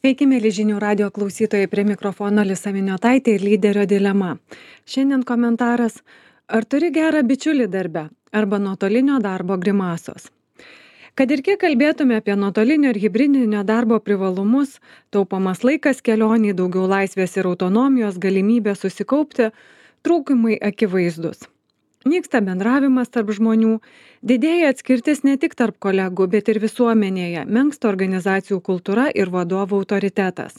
Sveiki, mėly žinių radio klausytojai, prie mikrofono Lisa Miniotaitė ir lyderio dilema. Šiandien komentaras: ar turi gerą bičiulį darbe arba nuotolinio darbo grimasos? Kad ir kiek kalbėtume apie nuotolinio ir hibridinio darbo privalumus, taupomas laikas kelioniai, daugiau laisvės ir autonomijos, galimybė susikaupti, trūkumai akivaizdus. Nyksta bendravimas tarp žmonių, didėja atskirtis ne tik tarp kolegų, bet ir visuomenėje, menksta organizacijų kultūra ir vadovų autoritetas.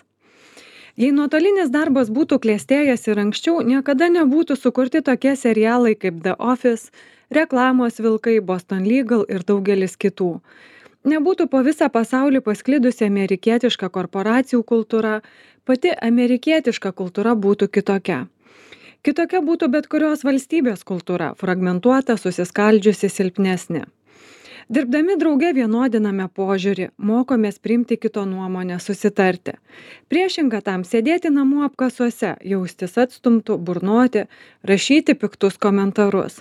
Jei nuotolinis darbas būtų klestėjęs ir anksčiau, niekada nebūtų sukurti tokie serialai kaip The Office, Reklamos vilkai, Boston Legal ir daugelis kitų. Nebūtų po visą pasaulį pasklidusi amerikietiška korporacijų kultūra, pati amerikietiška kultūra būtų kitokia. Kitokia būtų bet kurios valstybės kultūra, fragmentuota, susiskaldžiusi, silpnesnė. Dirbdami drauge vienodiname požiūrį, mokomės priimti kito nuomonę, susitarti. Priešinga tam sėdėti namų apkasuose, jaustis atstumtų, burnoti, rašyti piktus komentarus.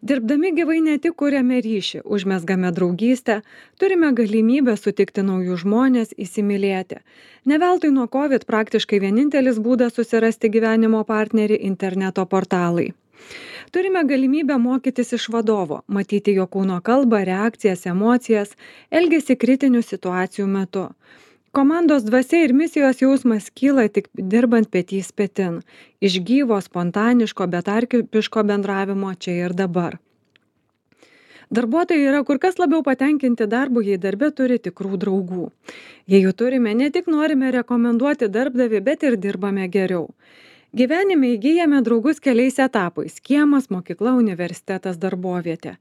Dirbdami gyvai ne tik kuriame ryšį, užmezgame draugystę, turime galimybę sutikti naujus žmones, įsimylėti. Ne veltui nuo COVID praktiškai vienintelis būdas susirasti gyvenimo partnerį - interneto portalai. Turime galimybę mokytis iš vadovo, matyti jo kūno kalbą, reakcijas, emocijas, elgesį kritinių situacijų metu. Komandos dvasia ir misijos jausmas kyla tik dirbant petys petin, iš gyvo, spontaniško, betarpiško bendravimo čia ir dabar. Darbuotojai yra kur kas labiau patenkinti darbu, jei darbe turi tikrų draugų. Jei jų turime, ne tik norime rekomenduoti darbdavį, bet ir dirbame geriau. Gyvenime įgyjame draugus keliais etapais - kiemas, mokykla, universitetas, darbovietė.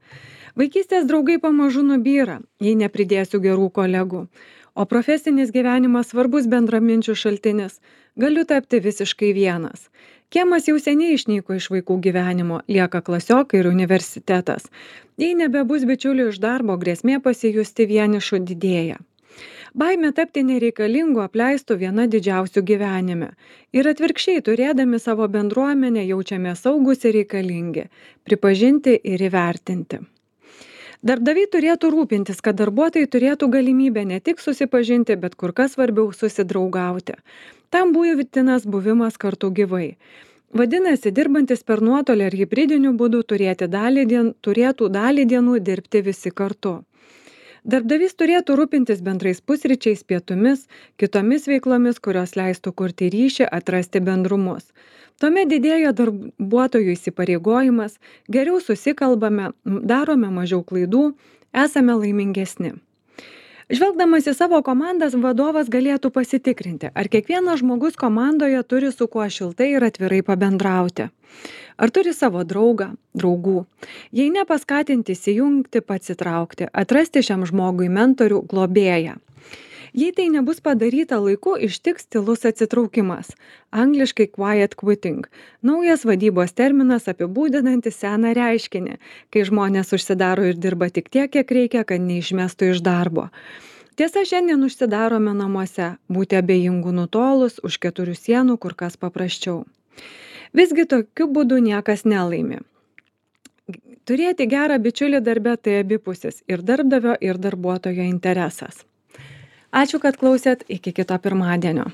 Vaikystės draugai pamažu nubyra, jei nepridėsiu gerų kolegų. O profesinis gyvenimas svarbus bendraminčių šaltinis. Galiu tapti visiškai vienas. Kiemas jau seniai išnyko iš vaikų gyvenimo, lieka klasiokai ir universitetas. Jei nebebus bičiulių iš darbo, grėsmė pasijusti vienišu didėja. Baimė tapti nereikalingu, apleistu viena didžiausių gyvenime. Ir atvirkščiai, turėdami savo bendruomenę, jaučiame saugus ir reikalingi, pripažinti ir įvertinti. Darbdaviai turėtų rūpintis, kad darbuotojai turėtų galimybę ne tik susipažinti, bet kur kas svarbiau susidraugauti. Tam būtinas buvimas kartu gyvai. Vadinasi, dirbantis per nuotolį ar hibridiniu būdu turėtų dalį dienų dirbti visi kartu. Darbdavys turėtų rūpintis bendrais pusryčiais, pietumis, kitomis veiklomis, kurios leistų kurti ryšį, atrasti bendrumus. Tuomet didėja darbuotojų įsipareigojimas, geriau susikalbame, darome mažiau klaidų, esame laimingesni. Žvelgdamas į savo komandas, vadovas galėtų pasitikrinti, ar kiekvienas žmogus komandoje turi su kuo šiltai ir atvirai pabendrauti. Ar turi savo draugų. Jei ne, paskatinti įsijungti, pats įtraukti, atrasti šiam žmogui mentorių, globėją. Jei tai nebus padaryta laiku, ištiks tylus atsitraukimas. Angliškai quiet quitting. Naujas vadybos terminas apibūdinantis seną reiškinį, kai žmonės užsidaro ir dirba tik tiek, kiek reikia, kad neišmestų iš darbo. Tiesa, šiandien užsidarome namuose, būti abejingų nutolus, už 4 sienų kur kas paprasčiau. Visgi tokiu būdu niekas nelaimi. Turėti gerą bičiulį darbe tai abipusis ir darbdavio, ir darbuotojo interesas. Ačiū, kad klausėt, iki kito pirmadienio.